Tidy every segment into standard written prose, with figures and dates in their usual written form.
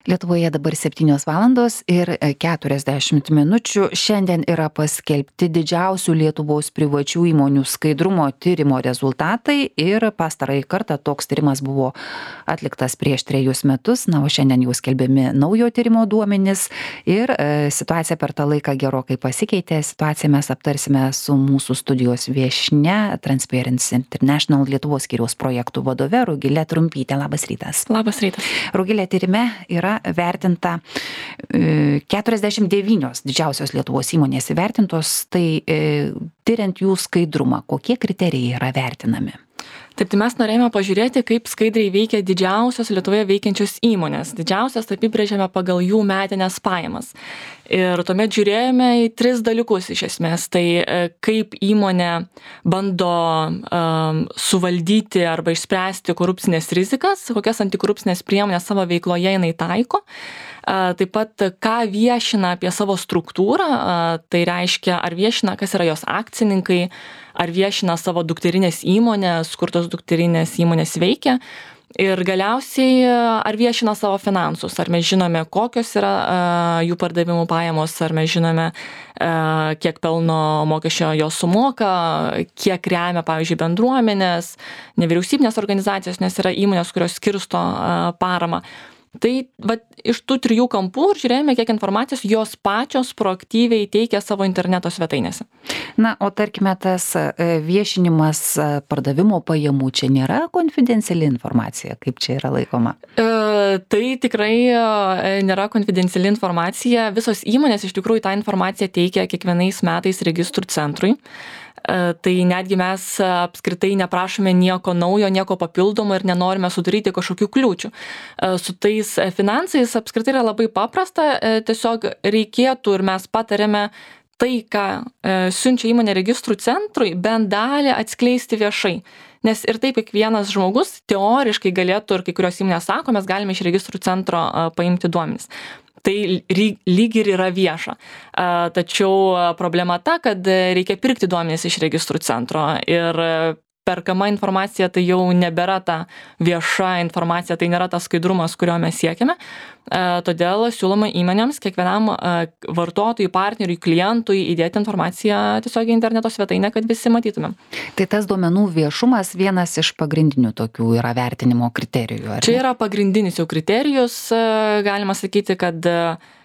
Lietuvoje dabar 7:40. Šiandien yra paskelbti didžiausių Lietuvos privačių įmonių skaidrumo tyrimo rezultatai ir pastarąjį kartą toks tyrimas buvo atliktas prieš 3 metus, o šiandien jau skelbiami naujo tyrimo duomenys ir situacija per tą laiką gerokai pasikeitė. Situaciją mes aptarsime su mūsų studijos viešnia, Transparency International Lietuvos skyriaus projektų vadove Rugile Trumpyte. Labas rytas. Labas rytas. Rugile, tyrime yra vertinta 49 didžiausios Lietuvos įmonės įvertintos, tai tyriant jų skaidrumą, kokie kriterijai yra vertinami? Taip, tai mes norėjome pažiūrėti, kaip skaidriai veikia didžiausios Lietuvoje veikiančios įmonės. Didžiausias apibrėžėme pagal jų metinės pajamas. Ir tuomet žiūrėjome į 3 dalykus iš esmės. Tai kaip įmonė bando suvaldyti arba išspręsti korupcinės rizikas, kokias antikorupcinės priemonės savo veikloje jinai taiko. Taip pat, ką viešina apie savo struktūrą, tai reiškia, ar viešina, kas yra jos akcininkai, ar viešina savo dukterinės įmonės, kur tos dukterinės įmonės veikia. Ir galiausiai, ar viešina savo finansus, ar mes žinome, kokios yra jų pardavimų pajamos, ar mes žinome, kiek pelno mokesčio jos sumoka, kiek remia, pavyzdžiui, bendruomenės, nevyriausybinės organizacijos, nes yra įmonės, kurios skirsto paramą. Tai iš tų 3 kampų ir žiūrėjome, kiek informacijos jos pačios proaktyviai teikia savo interneto svetainėse. Na, o tarkime, tas viešinimas pardavimo pajamų čia nėra konfidenciali informacija, kaip čia yra laikoma? Tai tikrai nėra konfidenciali informacija. Visos įmonės iš tikrųjų tą informaciją teikia kiekvienais metais registrų centrui. Tai netgi mes apskritai neprašome nieko naujo, nieko papildomo ir nenorime sudaryti kažkokių kliūčių. Su tais finansais apskritai yra labai paprasta, tiesiog reikėtų ir mes patarėme tai, ką siunčia įmonė registrų centrui, bent dalį atskleisti viešai. Nes ir taip kiekvienas žmogus teoriškai galėtų, ir kai kurios įmonės sako, mes galime iš registrų centro paimti duomenis. Tai lyg ir yra vieša. Tačiau problema ta, kad reikia pirkti duomenis iš registrų centro ir perkama informacija tai jau nebėra ta vieša informacija, tai nėra tas skaidrumas, kurio mes siekiame. Todėl siūloma įmonėms, kiekvienam vartotojui, partneriui, klientui įdėti informaciją tiesiog į interneto svetainę, kad visi matytumėm. Tai tas duomenų viešumas vienas iš pagrindinių tokių yra vertinimo kriterijų, ar ne? Čia yra pagrindinis jau kriterijus, galima sakyti, kad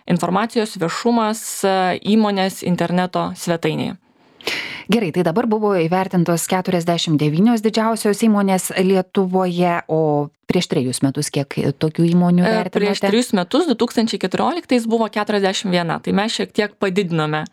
informacijos viešumas įmonės interneto svetainėje. Gerai, tai dabar buvo įvertintos 49 didžiausios įmonės Lietuvoje, o prieš 3 metus kiek tokių įmonių vertinote? Prieš 3 metus, 2014, buvo 41, tai mes šiek tiek padidinome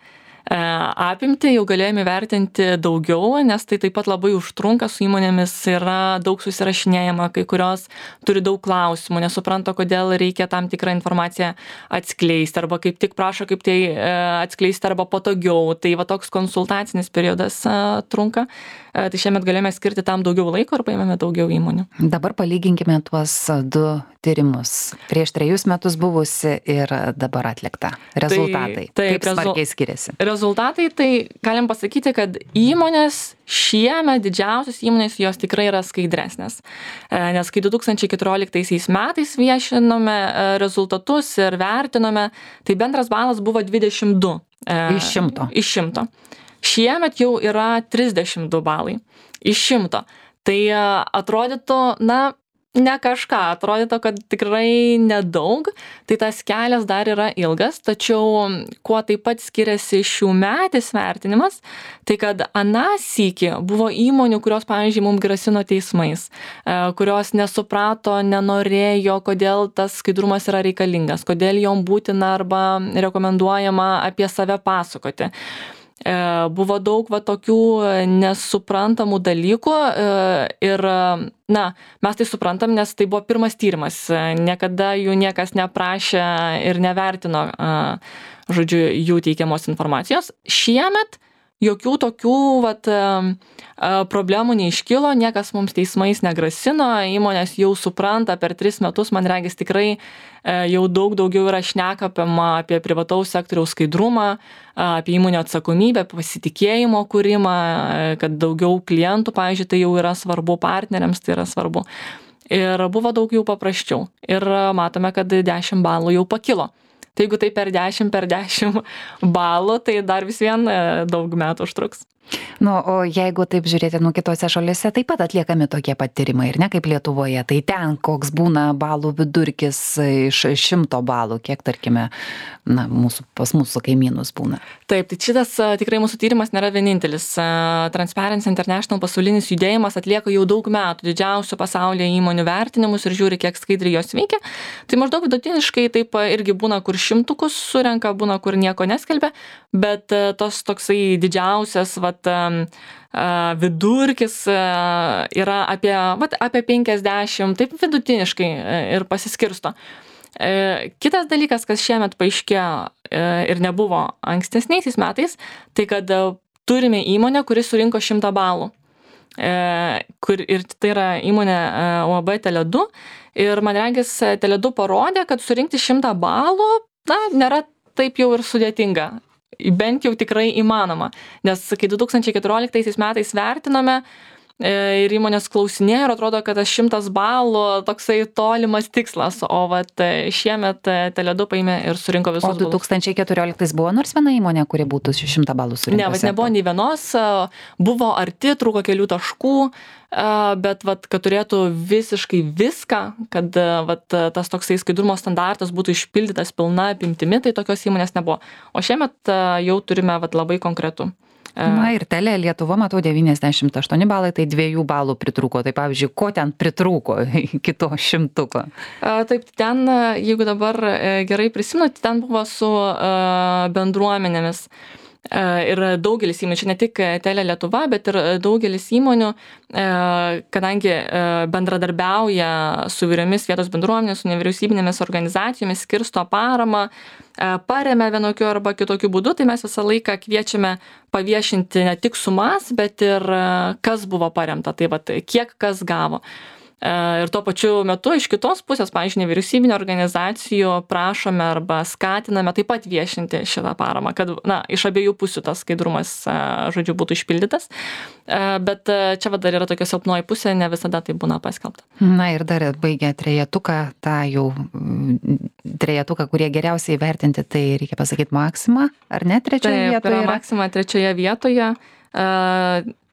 apimtį, jau galėjome vertinti daugiau, nes tai taip pat labai užtrunka, su įmonėmis yra daug susirašinėjama, kai kurios turi daug klausimų, nesupranta, kodėl reikia tam tikrą informaciją atskleisti, arba kaip tik prašo, kaip tai atskleisti, arba patogiau. Tai toks konsultacinis periodas trunka. Tai šiemet galėjome skirti tam daugiau laiko ir paėmėme daugiau įmonių. Dabar palyginkime tuos 2 tyrimus. Prieš 3 metus buvusi ir dabar atlikta. Rezultatai. Kaip smarkiai skiriasi? Rezultatai, tai galim pasakyti, kad įmonės šiemet, didžiausios įmonės, jos tikrai yra skaidresnės. Nes kai 2014 metais viešinome rezultatus ir vertinome, tai bendras balas buvo 22. Iš 100. Iš 100. Šiemet jau yra 32 balai iš 100. Tai atrodytų, ne kažką, atrodytų, kad tikrai nedaug, tai tas kelias dar yra ilgas, tačiau kuo taip pat skiriasi šiųmetis vertinimas, tai kad aną sykį buvo įmonių, kurios, pavyzdžiui, mums grasino teismais, kurios nesuprato, nenorėjo, kodėl tas skaidrumas yra reikalingas, kodėl jom būtina arba rekomenduojama apie save pasakoti. Buvo daug tokių nesuprantamų dalykų ir, mes tai suprantam, nes tai buvo pirmas tyrimas. Niekada jų niekas neprašė ir nevertino, jų teikiamos informacijos. Šiemet jokių tokių problemų neiškilo, niekas mums teismais negrasino, įmonės jau supranta per 3 metus, man regis tikrai jau daug daugiau yra šnekama apie privataus sektoriaus skaidrumą, apie įmonių atsakomybę, pasitikėjimo kūrimą, kad daugiau klientų, pavyzdžiui, tai jau yra svarbu, partneriams tai yra svarbu. ir buvo daug jau paprasčiau. Ir matome, kad 10 balų jau pakilo. Tai jeigu tai per 10 balų, tai dar vis vien daug metų užtruks. Nu, o jeigu taip žiūrėti, kitose šalyse taip pat atliekami tokie pat tyrimai, ir ne kaip Lietuvoje, tai ten koks būna balų vidurkis iš 100 balų, kiek, tarkime, pas mūsų kaimynus būna. Taip, tai šitas tikrai mūsų tyrimas nėra vienintelis. Transparency International pasaulinis judėjimas atlieka jau daug metų didžiausių pasaulyje įmonių vertinimus ir žiūri, kiek skaidriai jos veikia. Tai maždaug vidutiniškai taip irgi būna, kur 100 surenka, būna, kur nieko neskelbia, bet tos toksai didžiausias vidurkis yra apie 50, taip vidutiniškai ir pasiskirsto. Kitas dalykas, kas šiemet paaiškėjo ir nebuvo ankstesniaisiais metais, tai kad turime įmonę, kuri surinko 100 balų. Ir tai yra įmonė UAB Tele2. Ir man regis, Tele2 parodė, kad surinkti 100 balų, nėra taip jau ir sudėtinga. Bent jau tikrai įmanoma. Nes kai 2014 metais vertinome ir įmonės klausinėjo ir atrodo, kad 100 balų toksai tolimas tikslas, o šiemet Tele2 paėmė ir surinko visus balus. O 2014 buvo nors viena įmonė, kuri būtų 100 balų surinkusi? Ne, nebuvo nei vienos, buvo arti, trūko kelių taškų, bet kad turėtų visiškai viską, kad tas toksai skaidrumo standartas būtų išpildytas pilna apimtimi, tai tokios įmonės nebuvo. O šiemet jau turime labai konkretų. Ir Tele Lietuva, matau, 98 balai, tai 2 balų pritrūko. Tai pavyzdžiui, ko ten pritrūko iki to 100? Taip, ten, jeigu dabar gerai prisimenu, ten buvo su bendruomenėmis. Ir daugelis įmonių, čia ne tik Tele Lietuva, bet ir daugelis įmonių, kadangi bendradarbiauja su įvairiomis vietos bendruomenėmis, su nevyriausybinėmis organizacijomis, skirsto paramą, paremia vienokiu arba kitokiu būdu, tai mes visą laiką kviečiame paviešinti ne tik sumas, bet ir kas buvo paremta, tai kiek kas gavo. Ir tuo pačiu metu iš kitos pusės, pavyzdžiui, nevyriausybinio organizacijų prašome arba skatiname taip pat viešinti šitą paramą, kad iš abiejų pusių tas skaidrumas, žodžiu, būtų išpildytas. Bet čia dar yra tokia silpnoji pusė, ne visada tai būna paskelbta. Ir dar baigę trejetuką, kurie geriausiai vertinti, tai reikia pasakyti Maxima, ar ne, trečioje vietoje? Taip, Maxima trečioje vietoje.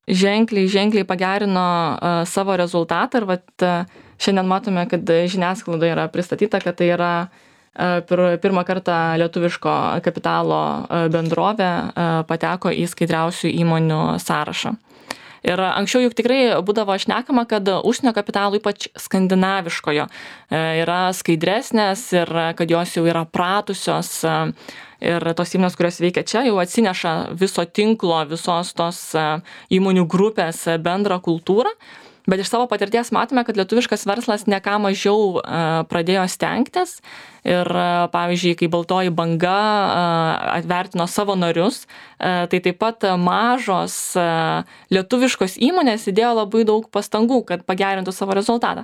Ženkliai pagerino savo rezultatą ir šiandien matome, kad žiniasklaidoje yra pristatyta, kad tai yra pirmą kartą lietuviško kapitalo bendrovė pateko į skaidriausių įmonių sąrašą. Ir anksčiau juk tikrai būdavo šnekama, kad užsienio kapitalų, ypač skandinaviškojo, yra skaidresnės ir kad jos jau yra pratusios. Ir tos įmonės, kurios veikia čia, jau atsineša viso tinklo, visos tos įmonių grupės bendrą kultūrą. Bet iš savo patirties matome, kad lietuviškas verslas ne ką mažiau pradėjo stengtis. Ir pavyzdžiui, kai Baltoji banga atvertino savo narius, tai taip pat mažos lietuviškos įmonės įdėjo labai daug pastangų, kad pagerintų savo rezultatą.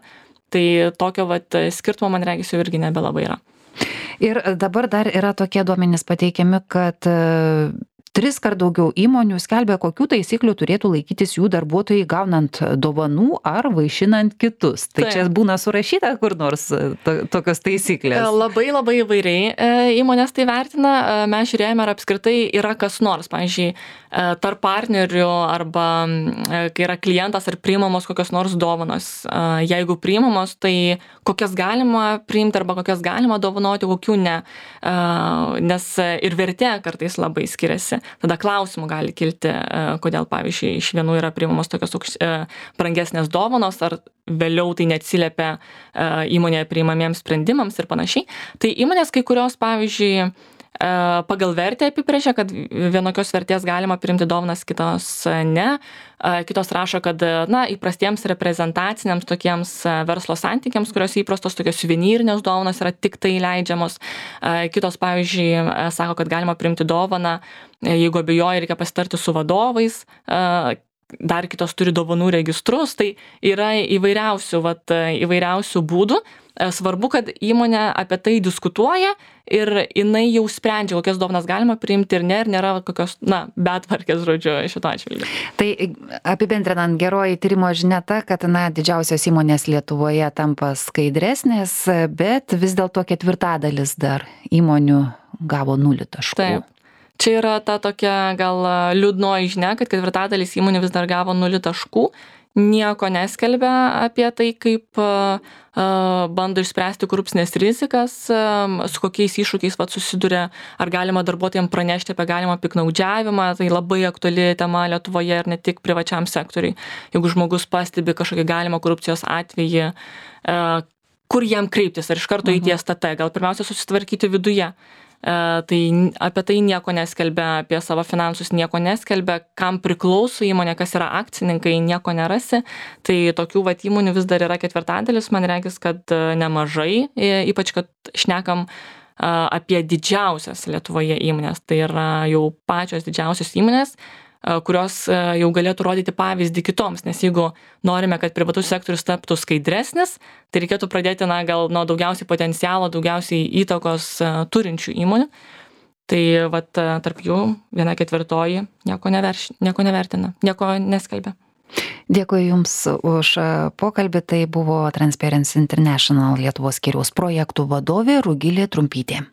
Tai tokio skirtumo, man regis, jau irgi nebelabai yra. Ir dabar dar yra tokie duomenys pateikiami, kad 3 kart daugiau įmonių skelbia, kokių taisyklių turėtų laikytis jų darbuotojai gaunant dovanų ar vaišinant kitus. Tai čia būna surašyta kur nors tokios taisyklės? Labai įvairiai įmonės tai vertina. Mes žiūrėjome, ar apskritai yra kas nors, pavyzdžiui, tarp partnerių arba kai yra klientas, ar priimamos kokios nors dovanos. Jeigu priimamos, tai kokias galima priimti arba kokias galima dovanoti, kokių ne. Nes ir vertė kartais labai skiriasi. Tada klausimų gali kilti, kodėl, pavyzdžiui, iš vienų yra priimamos tokios brangesnės dovanos, ar vėliau tai neatsiliepia įmonėje priimamiems sprendimams ir panašiai. Tai įmonės kai kurios, pavyzdžiui, pagal vertę apibrėžia, kad vienokios vertės galima priimti dovanas, kitos ne. Kitos rašo, kad įprastiems reprezentaciniams tokiems verslo santykiams, kurios įprastos tokios suvenyrinės dovanos yra tik tai leidžiamos. Kitos, pavyzdžiui, sako, kad galima priimti dovaną, jeigu abejoja, reikia pasitarti su vadovais. dar kitos turi dovanų registrus, tai yra įvairiausių būdų. Svarbu, kad įmonė apie tai diskutuoja ir jinai jau sprendžia, kokias dovanas galima priimti ir nėra kokios, betvarkės, žodžiu, šito atžvilgiu. Tai apibendrinant, geroji tyrimo žinia ta, kad didžiausios įmonės Lietuvoje tampa skaidresnės, bet vis dėlto 1/4 dar įmonių gavo 0 taškų. Taip. Čia yra ta tokia gal liūdnoji žinia, kad 1/4 įmonių vis dar gavo 0 taškų. Nieko neskelbia apie tai, kaip bando išspręsti korupcinės rizikas, su kokiais iššūkiais susiduria, ar galima darbuotojams pranešti apie galimą piktnaudžiavimą. Tai labai aktuali tema Lietuvoje ir ne tik privačiam sektoriui. Jeigu žmogus pastebi kažkokį galimą korupcijos atvejį, kur jam kreiptis, ar iš karto į STT, gal pirmiausia susitvarkyti viduje. Tai apie tai nieko neskelbia, apie savo finansus nieko neskelbia, kam priklauso įmonė, kas yra akcininkai, nieko nerasi. Tai tokių įmonių vis dar yra 1/4, man regis, kad nemažai, ypač kad šnekam apie didžiausias Lietuvoje įmonės. Tai yra jau pačios didžiausios įmonės, kurios jau galėtų rodyti pavyzdį kitoms, nes jeigu norime, kad privatus sektorius taptų skaidresnis, tai reikėtų pradėti gal nuo daugiausiai potencialo, daugiausiai įtakos turinčių įmonių. Tai tarp jų 1/4 nieko nevertina, nieko neskelbia. Dėkui Jums už pokalbį. Tai buvo Transparency International Lietuvos skyriaus projektų vadovė Rugilė Trumpytė.